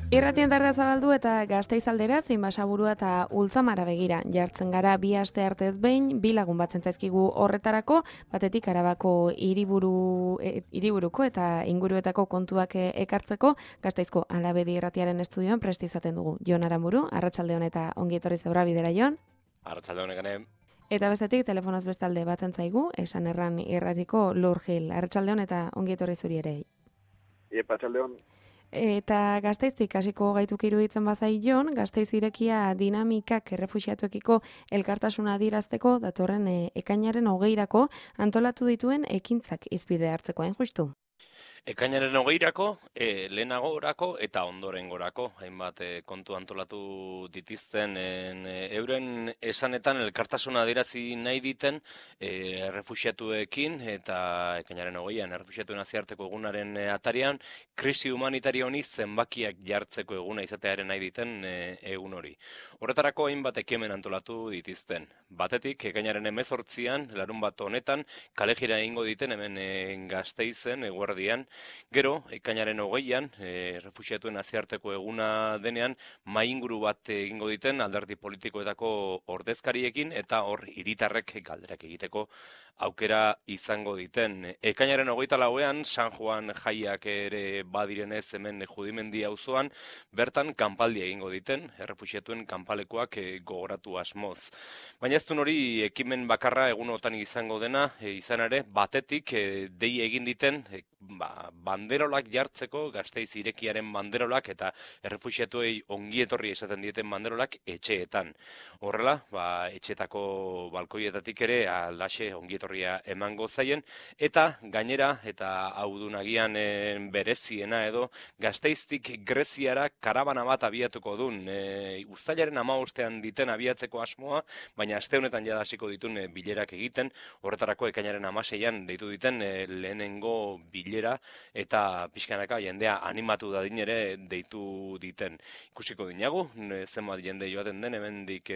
Irratien tardea zabaldu eta Gasteiz aldera, zein Basaburua eta Ultzamara begira. Jartzen gara bi aste artez behin, bi lagun batzen zaizkigu horretarako, batetik Arabako hiriburuko eta inguruetako kontuak ekartzeko, Gasteizko Alabedi Irratiaren estudioan prest izaten dugu. Jon Aramburu, arratsalde on eta ongi etorri zeura bidera, Jon. Arratsalde on egane. Eta bestetik telefonoz bestalde batzen zaigu, esan erran irratiko Lur Gil. Arratsalde on eta ongi etorri zuri ere. Arratsalde on. Eta Gasteiztik hasiko gaituk iruditzen bazai Jon, Gasteiz irekia dinamikak errefuxiatuekiko elkartasuna adierazteko datorren ekainaren 20irako antolatu dituen ekintzak hizpide hartzeko, hain justu. Ekainaren 20irako, lehenagorako eta ondorengorako, hainbat kontu antolatu ditizten euren esanetan elkartasuna adierazi nahi diten errefuxiatuekin eta ekainaren 20an errefuxiatuen nazioarteko egunaren atarian krisi humanitario honi zenbakiak jartzeko eguna izatearen nahi diten egun hori. Horretarako hainbat ekimen antolatu ditizten. Batetik, ekainaren 18an, larunbat honetan, kalejira egingo diten hemen Gasteizen, eguerdian. Gero, ekainaren 20an, errefuxiatuen nazioarteko eguna denean, mainguru bat egingo diten alderdi politikoetako ordezkariekin eta hor hiritarrek galderak egiteko aukera izango diten. Ekainaren 24an, San Juan jaiak ere badirenez hemen Judimendi auzoan, bertan kanpaldia egingo diten, errefuxiatuen kanpalekoak gogoratu asmoz. Baina ez duen hori ekimen bakarra egunotan izango dena, izan ere, batetik dei egin diten, banderolak jartzeko, Gasteiz irekiaren banderolak eta errefuxiatuei ongietorri esaten dieten banderolak etxeetan. Horrela, etxeetako balkoietatik ere alaxe ongietorria emango zaien, eta gainera, eta hau du nagian bereziena edo, Gasteiztik Greziara karabana bat abiatuko duen. Uztailaren 15ean diten abiatzeko asmoa, baina aste honetan jada hasiko ditun bilerak egiten, horretarako ekainaren 16an deitu diten lehenengo bilera eta pixkanaka jendea animatu dadin ere deitu diten. Ikusiko dinagu, zenbat jende joaten den hemendik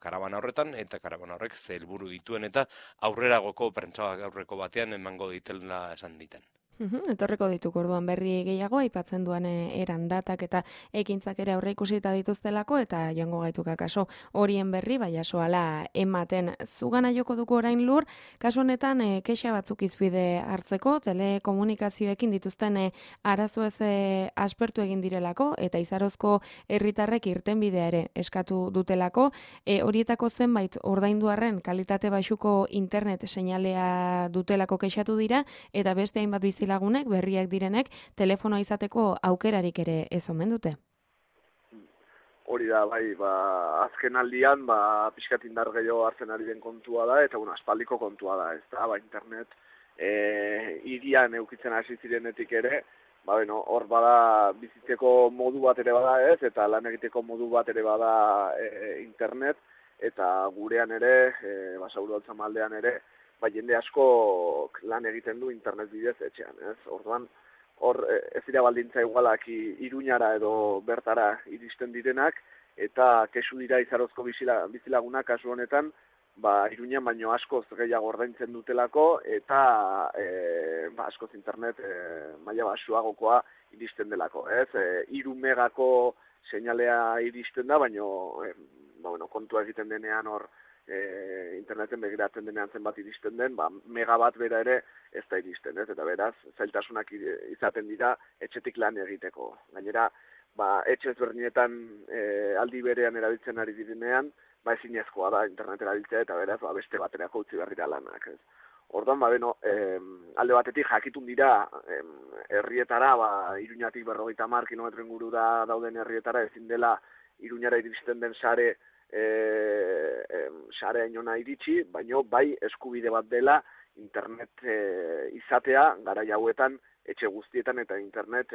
karabana horretan, eta karabana horrek ze helburu dituen eta aurreragoko prentsa aurreko batean emango ditela esan diten. Etorreko dituko orduan berri gehiago, aipatzen duan eran datak eta ekintzak ere aurre ikusita dituztelako eta joango gaituka kaso horien berri, jasoala ematen. Zugana joko dugu orain Lur, kasu honetan kexa batzuk hizpide hartzeko, telekomunikazioekin dituzten arazo ez aspertu egin direlako eta izarozko herritarrek irtenbidea ere eskatu dutelako, horietako zenbait ordainduarren kalitate baxuko internet seinalea dutelako kexatu dira eta beste hainbat lagunek berriak direnek telefonoa izateko aukerarik ere ez omen dute. Hori da, azken aldian, pixkat indar gehiago hartzen ari den kontua da, eta aspaldiko kontua da, ez da, internet hirian eukitzen hasi zirenetik ere, hor bada bizitzeko modu bat ere bada ez, eta lan egiteko modu bat ere bada internet, eta gurean ere, Basaburua Ultzamaldean ere, jende asko lan egiten du internet bidez etxean, ez? Orduan, hor ez dira baldintza igualak Iruñara edo bertara iristen direnak, eta kesu dira izarozko bizilagunak kasu honetan, Iruñan baino askoz gehiago ordaintzen dutelako, eta askoz internet maila baxuagokoa iristen delako, ez? 3 megako seinalea iristen da, baino kontua egiten denean hor, interneten begiratzen denean zenbat iristen den, megabat bera ere ez da iristen, ez? Eta beraz, zailtasunak izaten dira etxetik lan egiteko. Gainera, etxe ezberdinetan aldi berean erabiltzen ari direnean, ezinezkoa da internet erabiltzea eta beraz, beste baterako utzi behar dira lanak, ez? Orduan, alde batetik jakitun dira herrietara, Iruñatik 50 kilometro ingurura dauden herrietara ezin dela Iruñara iristen den sare inona iritsi, baino eskubide bat dela internet izatea garai hauetan etxe guztietan eta internet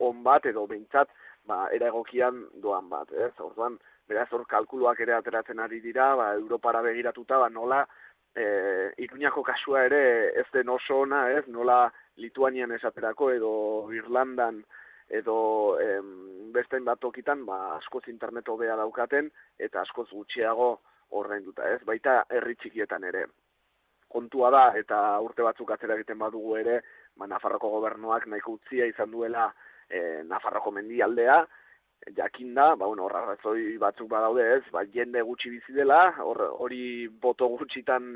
on bat edo behintzat era egokian doan bat, ez? Orduan, beraz hor kalkuluak ere ateratzen ari dira, Europara begiratuta, nola Iruñako kasua ere ez den oso ona, ez? Nola Lituanian esaterako edo Irlandan edo beste bat tokitan askoz internet hobea daukaten eta askoz gutxiago ordainduta, ez? Baita herri txikietan ere. Kontua da, eta urte batzuk atzera egiten badugu ere, Nafarroko gobernuak nahiko utzia izan duela Nafarroko mendialdea, jakinda, hor arrazoi batzuk badaude ez, jende gutxi bizi dela, hori boto gutxitan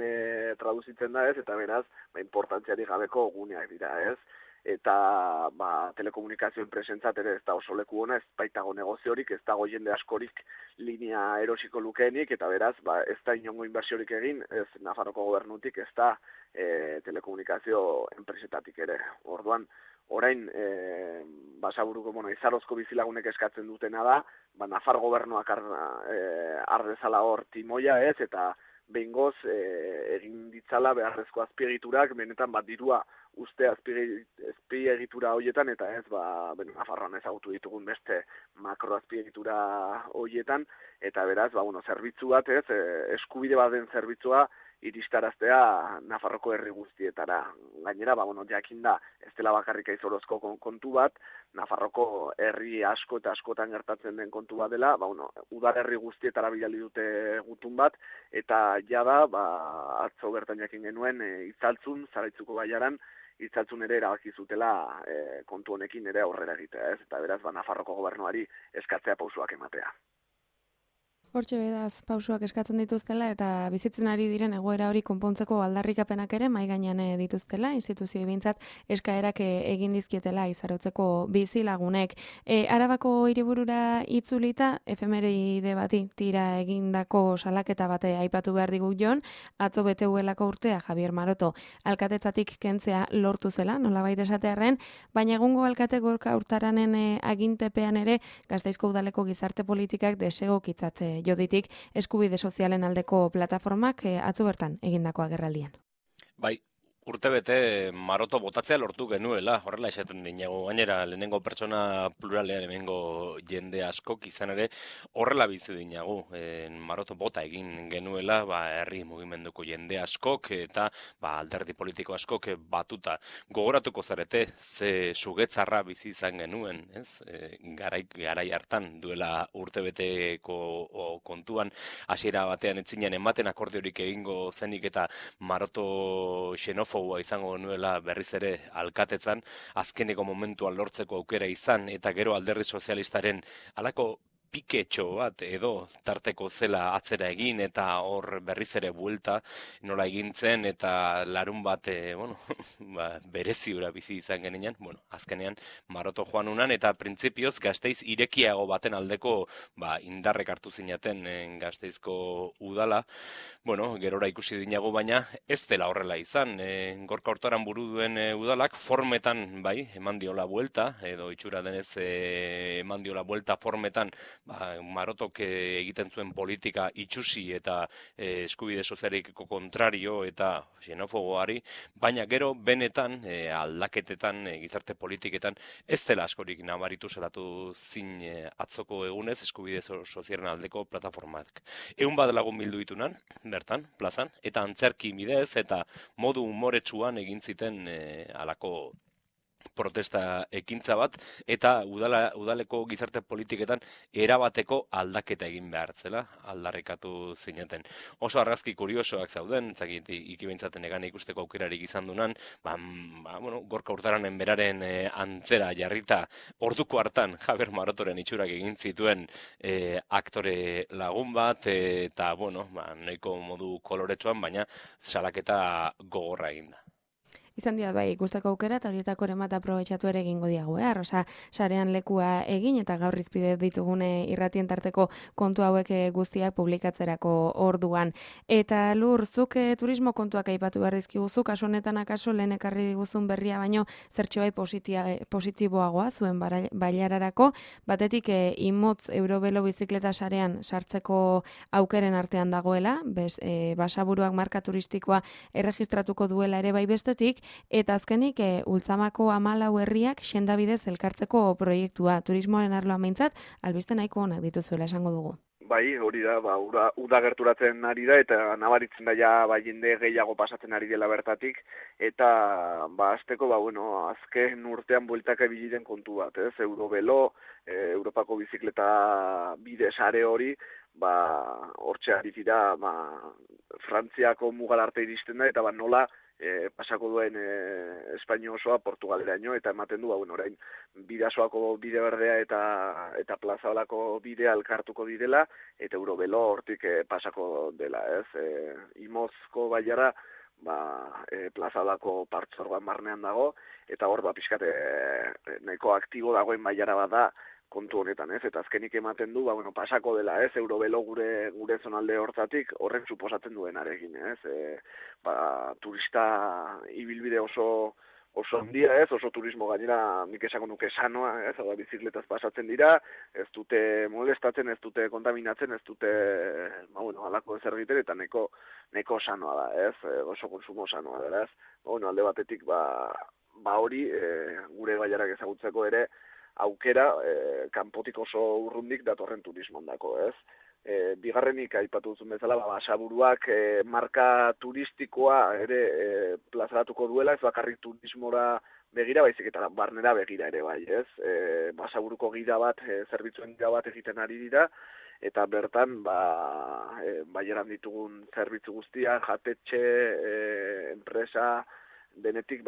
traduzitzen da ez, eta beraz, importantziarik gabeko guneak dira ez, eta telekomunikazioen presentzat ere ez da oso leku ona, ez baitago negoziorik, ez dago jende askorik linea erosiko lukeenik, eta beraz, ez da inongo inbersiorik egin, ez Nafarroko gobernutik, ez da telekomunikazio enpresetatik ere. Orduan, orain, Basaburuko, Izarozko bizilagunek eskatzen dutena da, Nafar gobernuak ardezala hor timoia ez, eta behingoz egin ditzala beharrezko azpiegiturak, benetan dirua uste azpiegitura horietan, eta ez, Nafarroan ezagutu ditugun beste makro azpiegitura horietan, eta beraz, zerbitzu bat ez, eskubide bat den zerbitzua, iristaraztea Nafarroko herri guztietara. Gainera, jakinda, ez dela bakarrik Aizorozko kontu bat, Nafarroko herri asko eta askotan gertatzen den kontu bat dela, udalerri guztietara bidali dute gutun bat, eta jada, atzo bertan jakin genuen, Itzaltzun, Zaraitzuko baiaran, Itzaltzun ere erabaki zutela kontu honekin ere aurrera egitea, ez? Eta beraz, Nafarroko gobernuari eskatzea pausoak ematea. Hortxe bedaz, pausuak eskatzen dituztela eta bizitzen ari diren egoera hori konpontzeko aldarrikapenak ere mai gainean dituztela, instituzioi behintzat eskaerak egin dizkietela Izarotzeko bizilagunek. Arabako hiriburura itzulita, efemeride bati tira egindako salaketa bate aipatu behar digu Jon, atzo beteuelako urtea Javier Maroto alkatetzatik kentzea lortu zela, nolabait esatearren, baina egungo alkate Gorka Urtaranen agintepean ere Gasteizko udaleko gizarte politikak desegokitzat joditik eskubide sozialen aldeko plataformak atzo bertan egindako agerraldian. Bai, urtebete Maroto botatzea lortu genuela, horrela esaten dinago, gainera lehenengo pertsona pluralean hemengo jende askok izan ere horrela bizi dinagu, Maroto bota egin genuela, herri mugimenduko jende askok eta alderdi politiko askok batuta. Gogoratuko zarete, ze sugetzarra bizi izan genuen, ez? Garai hartan duela urtebeteko kontuan hasiera batean etzinen ematen akordiorik egingo zenik eta Maroto xenofoboa izango nuela berriz ere alkatetzan, azkeneko momentuan lortzeko aukera izan, eta gero alderdi sozialistaren halako piketxo bat edo tarteko zela atzera egin eta hor berriz ere buelta nola egintzen eta larun bat bereziura bizi izan genean, azkenean Maroto joan unan eta printzipioz Gasteiz irekiago baten aldeko indarrek hartu zinaten Gasteizko udala, gerora ikusi dinago, baina ez dela horrela izan, Gorka Urtaran buru duen udalak formetan eman diola buelta, edo itxura denez eman diola buelta formetan Marotok egiten zuen politika itxusi eta eskubide sozialikeko kontrario eta xenofoboari, baina gero benetan aldaketetan, gizarte politiketan ez dela askorik nabaritu zelatu zin atzoko egunez eskubide sozialen aldeko plataformak. 100 lagun bildu ditunan, bertan, plazan, eta antzerki bidez eta modu umoretsuan egin ziten halako protesta ekintza bat, eta udaleko gizarte politiketan erabateko aldaketa egin behar zela, aldarrikatu zineten. Oso argazki kuriosoak zauden, ikibentzaten egan ikusteko aukerarik izan dunan, Gorka Urtaranen beraren antzera jarrita, orduko hartan Javier Marotoren itxurak egin zituen aktore lagun bat, eta, nahiko modu koloretsuan, baina salaketa gogorra eginda. Izan dira ikusteko aukera eta horietako ere bat aprobetxatu ere egingo diago, Rosa, sarean lekua egin eta gaur izpide ditugune irratien tarteko kontu hauek guztiak publikatzerako orduan. Eta Lur, zuk turismo kontuak aipatu behar dizkiguzu, kasu honetan akaso lehen ekarri diguzun berria baino zertxo positiboagoa zuen bailararako, batetik imotz Eurobelo bizikleta sarean sartzeko aukeren artean dagoela, Basaburuak marka turistikoa erregistratuko duela ere bai bestetik, eta azkenik Ultzamako 14 herriak sendabidez elkartzeko proiektua, turismoaren arloan behintzat, albiste nahiko onak dituzuela esango dugu. Bai, hori da, uda gerturatzen ari da, eta nabaritzen da jende gehiago pasatzen ari dela bertatik, eta azteko, azken urtean bueltaka ebiliren kontu bat, ez? Eurobelo, Europako bizikleta bide sare hori, hortxe ari dira, Frantziako mugal arte iristen da, eta nola pasako duen Espainia osoa Portugaleraino, eta ematen du, orain Bidasoako bide berdea eta Plazaolako bidea elkartuko direla, eta Eurobelo hortik pasako dela, ez? Imozko baiara, Plazaolako partzuergoan barnean dago, eta hor, pixkat, nahiko aktibo dagoen baiara bada kontu honetan, ez? Eta azkenik ematen du, pasako dela, ez? Eurobelo gure zonalde hortatik horrek suposatzen duenarekin, ez? Turista ibilbide oso handia, ez? Oso turismo gainera, nik esango nuke sanoa, ez? Hau bizikletaz pasatzen dira, ez dute molestatzen, ez dute kontaminatzen, ez dute, halako ezer egiten, eta neko sanoa da, ez? Oso konsumo sanoa da, ez? Alde batetik, hori, gure baiarak ezagutzeko ere, aukera, kanpotik oso urrundik datorren turismondako, ez? Bigarrenik aipatu duzun bezala, Basaburuak marka turistikoa ere plazaratuko duela, ez bakarrik turismora begira, baizik eta barnera begira ere bai, ez? Basaburuko gida bat, zerbitzuen gida bat egiten ari dira, eta bertan, baieran ditugun zerbitzu guztia, jatetxe, enpresa, denetik,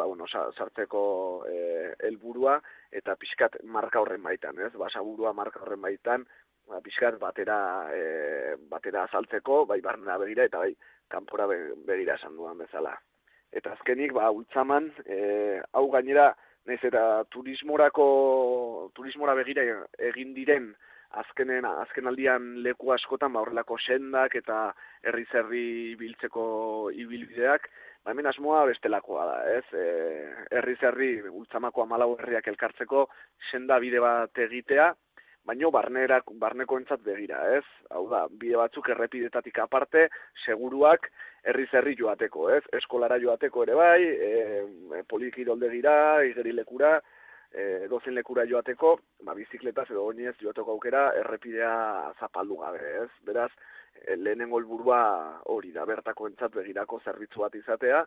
sartzeko helburua eta pixkat marka horren baitan, ez? Basaburua marka horren baitan, pixkat batera azaltzeko, bai barnera begira eta bai kanpora begira esan duan bezala. Eta azkenik, ultzaman, hau gainera, nahiz eta turismora begira egin diren azken aldian leku askotan, horrelako sendak eta herri biltzeko ibilbideak, hemen asmoa bestelakoa da, ez? Herri ultzamako 14 herriak elkartzeko senda bide bat egitea, baina barneko entzat begira, ez? Hau da, bide batzuk errepidetatik aparte, seguruak herri joateko, ez? Eskolara joateko ere bai, polikiroldegira, igerilekura, dozen lekura joateko, bizikletaz edo oinez joateko aukera errepidea zapaldu gabe, ez? Beraz, lehenengo helburua hori da, bertako entzat begirako zerbitzu bat izatea,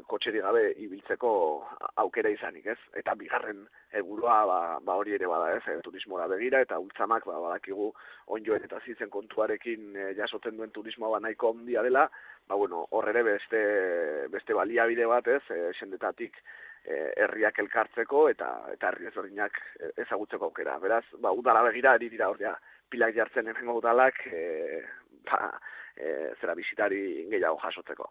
kotxeri gabe ibiltzeko aukera izanik, ez? Eta bigarren helburua hori ere bada, ez? Turismora begira, eta ultzamak badakigu onjoen eta zizen kontuarekin jasotzen duen turismoa nahiko handia dela, hor ere beste baliabide bat, ez? Sendetatik herriak elkartzeko eta herri ezberdinak ezagutzeko aukera. Beraz, udala begira, ari dira hor pilak jartzen hemengo udalak, zera bisitari gehiago jasotzeko.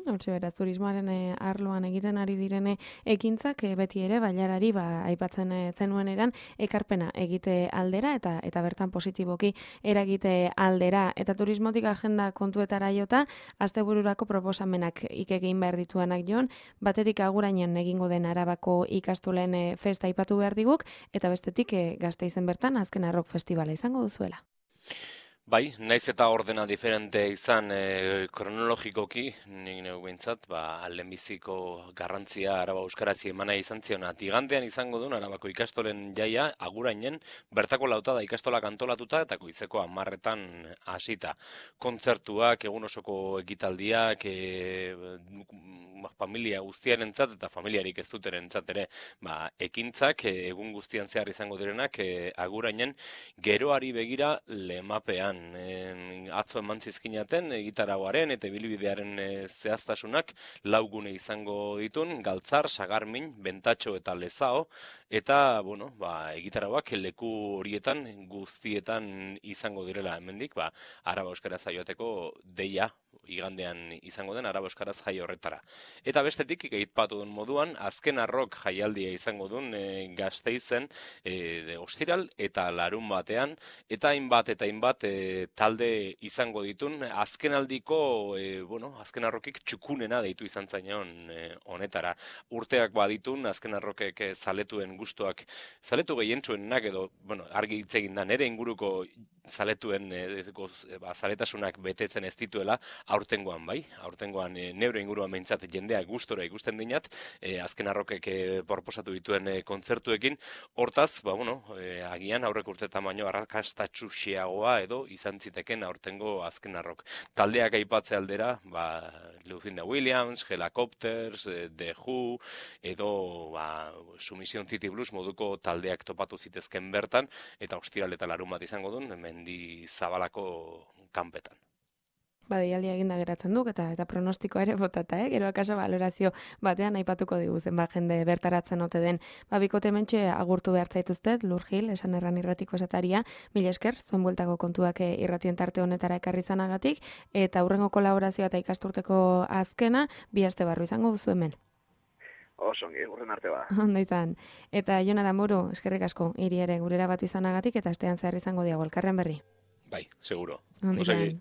Hortxe beraz, turismoaren arloan egiten ari direne ekintzak beti ere bailarari aipatzen zenuen eran ekarpena egite aldera eta bertan positiboki eragite aldera. Eta turismotik agenda kontuetara jota, astebururako proposamenak egin behar dituanak joan, batetik agurainen egingo den Arabako ikastolen festa aipatu behar diguk, eta bestetik Gasteizen bertan azken rock festivala izango duzuela. Bai, naiz eta ordena diferente izan kronologikoki, nik neu behintzat, lehenbiziko garrantzia Araba Euskarazi emana izan ziona. Igandean izango duen Arabako ikastolen jaia, agurainen, bertako lautada ikastolak antolatuta eta goizeko 10etan hasita. Kontzertuak, egun osoko ekitaldiak, familia guztiarentzat eta familiarik ez duterentzat ere, ekintzak, egun guztian zehar izango direnak, agurainen, geroari begira lemapean. Atzo eman zizkinaten, gitaragoaren eta ibilbidearen zehaztasunak laugune izango ditun, Galtzar, Sagarmin, Bentatxo eta Lezao, eta, egitaragoak leku horietan guztietan izango direla hemendik, Araba Euskaraz joateko deia igandean izango den Araba Euskaraz jai horretara. Eta bestetik, aipatu duen moduan, azken arrok jaialdia izango duen Gasteizen ostiral eta larun batean, eta hainbat talde izango ditun, azkenaldiko, azken arrokik txukunena deitu izan zainon honetara. Urteak baditun, azken arrokek zaletuen gustuak, zaletu gehientsuenak edo, argi hitz egin da, nere inguruko zaletuen zaletasunak betetzen ez dituela, aurtengoan aurtengoan neure inguruan behintzat jendea gustora ikusten dinat, azken arrokek proposatu dituen kontzertuekin, hortaz, agian aurrek urtetan baino arrakastatxuxiagoa edo izan ziteken aurtengo azken arrok. Taldeak aipatze aldera, Lucinda Williams, Helicopters, The Who, edo Submission City Blues moduko taldeak topatu zitezken bertan, eta ostiral eta larun bat izango duen, Mendi Zabalako kanpetan. Deialdia eginda geratzen duk eta pronostikoa ere botata, gero akaso valorazio batean aipatuko diguzen, jende bertaratzen ote den. Bikote hementxe agurtu behar zaituztet, Lur Gil, esan erran irratiko esataria, mila esker, zuen bueltako kontuak irratien tarte honetara ekarri zanagatik, eta hurrengo kolaborazioa eta ikasturteko azkena, 2 aste barru izango duzu hemen. Osongi, urren arte ba. Ondo izan. Eta Jon Aramburu, eskerrik asko, hiri ere gurera batu izanagatik, eta astean zehar izango diago elkarren berri. Bai, seguro. Ondo izan.